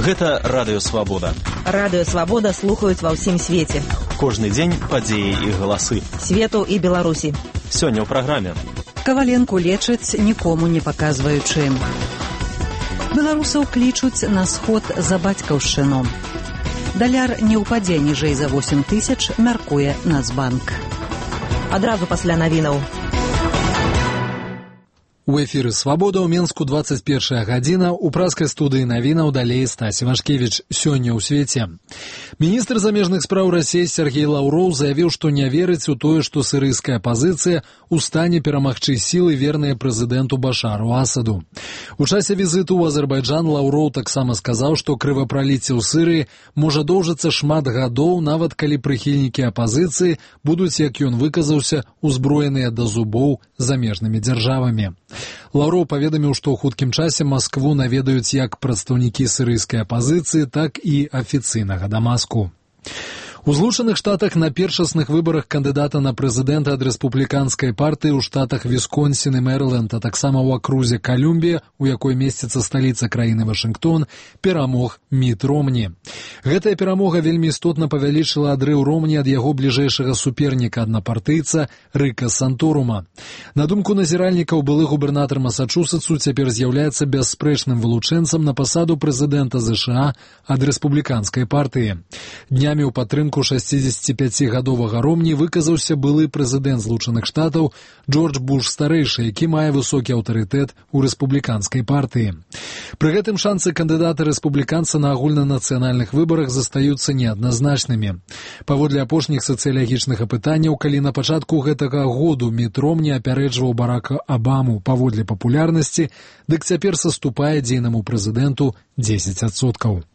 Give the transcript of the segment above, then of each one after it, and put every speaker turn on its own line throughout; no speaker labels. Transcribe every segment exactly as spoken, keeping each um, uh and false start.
Гэта Радыё Свабода.
Радыё Свабода слухаюць ва ўсім свеце.
Кожны дзень падзеі і галасы.
Свету і Беларусі.
Сёння ў праграме.
Каваленку лечаць, нікому не паказваючы. Беларусаў клічуць на сход за бацькаўшчыну. Даляр не ўпадзе ніжэй за восем тысяч, мяркуе Нацбанк.
Адразу пасля навінаў.
У эфіры «Свабода» ў Менску двадцать первая гадзіна, у праскай студыі навінаў далей Стась Івашкевіч. Сёння ў свеце. Міністр замежных спраў Расіі Сергей Лаўроў заявіў, што не верыць у тое, што сірыйская апазіцыя ў стане перамагчы сілы, верныя прэзідэнту Башару Асаду. У часе візіту ў Азербайджан Лаўроў таксама сказаў, што крывапраліцце ў Сырыі можа доўжыцца шмат гадоў, нават калі прыхільнікі апазіцыі будуць, як ён выказаўся, узброеныя да зубоў замежнымі дзяржавамі. Лаўроў паведаміў, што ў хуткім часе Маскву наведаюць як прадстаўнікі сірыйскай апазіцыі, так і афіцыйнага Дамаску. У Злучаных Штатах на першасных выбарах кандыдата на прэзідэнта ад рэспубліканскай партыі ў штатах Вісконсін і Мэрыленд, а таксама ў акрузе Калюмбія, у якой месціцца сталіца краіны Вашынгтон, перамог Міт Ромні. Гэтая перамога вельмі істотна павялічыла адрыў Ромні ад яго бліжэйшага суперніка аднапартыйца Рыка Санторума. На думку назіральнікаў, былы губернатар Масачусетсу цяпер з'яўляецца бясспрэчным вылучэнцам на пасаду прэзідэнта ЗША ад рэспубліканскай партыі. Днямі ў падтрымку шасцідзесяціпяцігадовага Ромні выказаўся былы прэзідэнт Злучаных Штатаў Джордж Буш-старэйшы, які мае высокі аўтарытэт у рэспубліканскай партыі. Пры гэтым шансы кандыдата рэспубліканца на агульнанацыянальных выбарах застаюцца неадназначнымі. Паводле апошніх сацыялагічных апытанняў, калі на пачатку гэтага году Міт Ромні апярэджваў Барака Абаму паводле папулярнасці, дык цяпер саступае дзейнаму прэзідэнту дзесяць адсоткаў.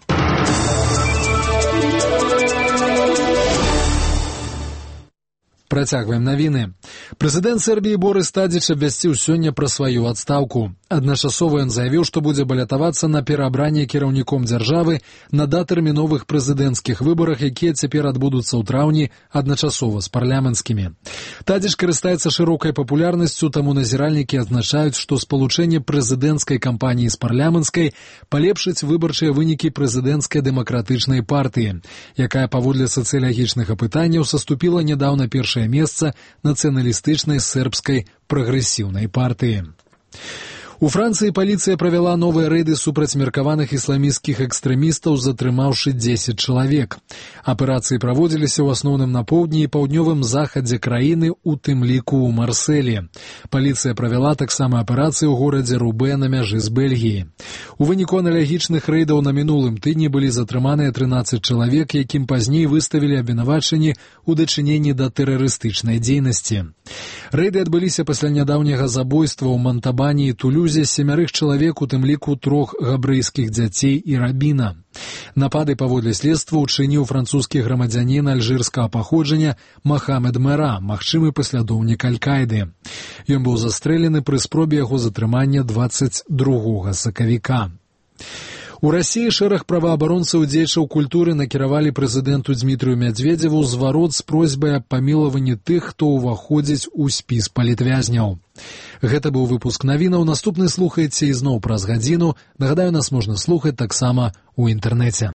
Працягваем навіны. Прэзідэнт Сербіі Борыс Тадзіч абвясціў сёння пра сваю адстаўку. Адначасова ён заявіў, што будзе балятавацца на пераабранне кіраўніком дзяржавы на датэрміновых прэзідэнцкіх выбарах, якія цяпер адбудуцца ў траўні адначасова з парламенцкімі. Тадзіч карыстаецца шырокай папулярнасцю, таму назіральнікі адзначаюць, што спалучэнне прэзідэнцкай кампаніі з парламенцкай палепшыць выбарчыя вынікі прэзідэнцкай дэмакратычнай партыі, якая паводле сацыялагічных апытанняў саступіла нядаўна першае месца нацыяналістычнай сербскай прагрэсіўнай партыі. У Францыі паліцыя правяла новыя рэйды супраць меркаваных ісламісцкіх экстрэмістаў, затрымаўшы дзесяць чалавек. Аперацыі праводзіліся ў асноўным на поўдні і паўднёвым захадзе краіны, у тым ліку ў Марселі. Паліцыя правяла таксама аперацыі ў горадзе Рубэ на мяжы з Бельгіяй. У выніку аналагічных рэйдаў на мінулым тыдні былі затрыманыя трынаццаць чалавек, якім пазней выставілі абвінавачанні ў дачыненні да тэрарыстычнай дзейнасці. Рэйды адбыліся пасля нядаўняга забойства ў Монтабані і Тулюзе семярых чалавек, у тым ліку трох габрэйскіх дзяцей і рабіна. Напады паводле следства учыніў французскі грамадзянін альжырскага паходжання Махамед Мера, магчымы паслядоўнік Аль-Каіды. Ён быў застрэлены пры спробе яго затрымання дваццаць другога сакавіка. У Расіі шэраг праваабаронцаў дзеячаў культуры накіравалі прэзідэнту Дзмітрыю Мядзведзеву зварот з просьбай аб памілаванні тых, хто ўваходзіць у спіс палітвязняў. Гэта быў выпуск навінаў. Наступны слухайце ізноў праз гадзіну. Нагадаю, нас можна слухаць таксама ў інтэрнэце.